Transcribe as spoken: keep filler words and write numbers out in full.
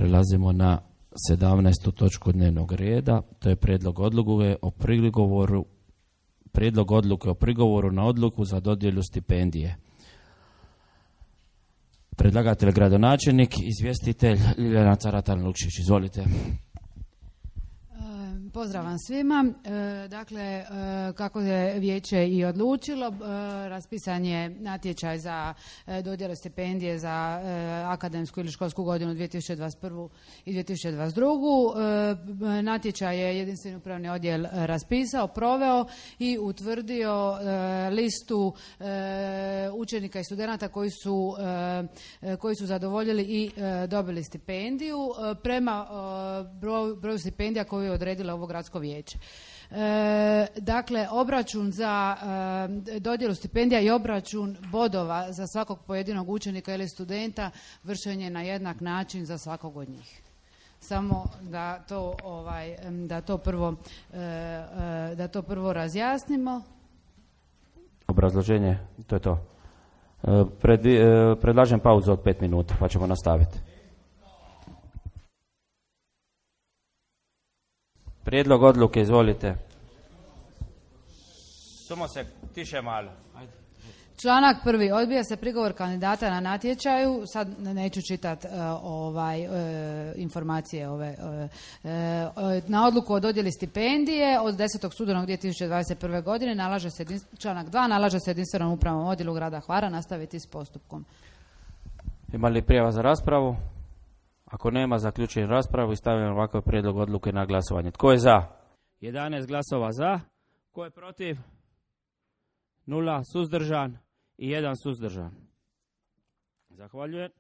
Prelazimo na sedamnaestu točku dnevnog reda, to je prijedlog odluke o prigovoru, prijedlog odluke o prigovoru na odluku za dodjelu stipendije. Predlagatelj gradonačelnik, izvjestitelj Ljiljana Caratan-Lukšić. Izvolite. Pozdrav vam svima. E, dakle, e, kako je vijeće i odlučilo, e, raspisan je natječaj za e, dodjelu stipendije za e, akademsku ili školsku godinu dvije tisuće dvadeset prvu i dvije tisuće dvadeset drugu. E, natječaj je jedinstveni upravni odjel raspisao, proveo i utvrdio e, listu e, učenika i studenata koji su, e, koji su zadovoljili i e, dobili stipendiju e, prema e, broju, broju stipendija koju je odredila ovo gradsko vijeće. E, dakle, obračun za e, dodjelu stipendija i obračun bodova za svakog pojedinog učenika ili studenta vršen je na jednak način za svakog od njih. Samo da to, ovaj, da to prvo, e, e, da to prvo razjasnimo. Obrazloženje, to je to. E, pred, e, predlažem pauzu od pet minuta, pa ćemo nastaviti. Prijedlog odluke, izvolite. Samo se tiše malo. Ajde. Članak prvi. Odbija se prigovor kandidata na natječaju. Sad neću čitati uh, ovaj, uh, informacije ove. Uh, uh, na odluku o dodjeli stipendije od desetog studenog dvije tisuće dvadeset prve godine nalaže se, članak dva, nalaže se jedinstvenom upravnom odjelu grada Hvara nastaviti s postupkom. Ima li prijava za raspravu? Ako nema, zaključujem raspravu i stavljam ovakav prijedlog odluke na glasovanje. Tko je za? jedanaest glasova za. Tko je protiv? Nula. Suzdržan i jedan suzdržan. Zahvaljujem.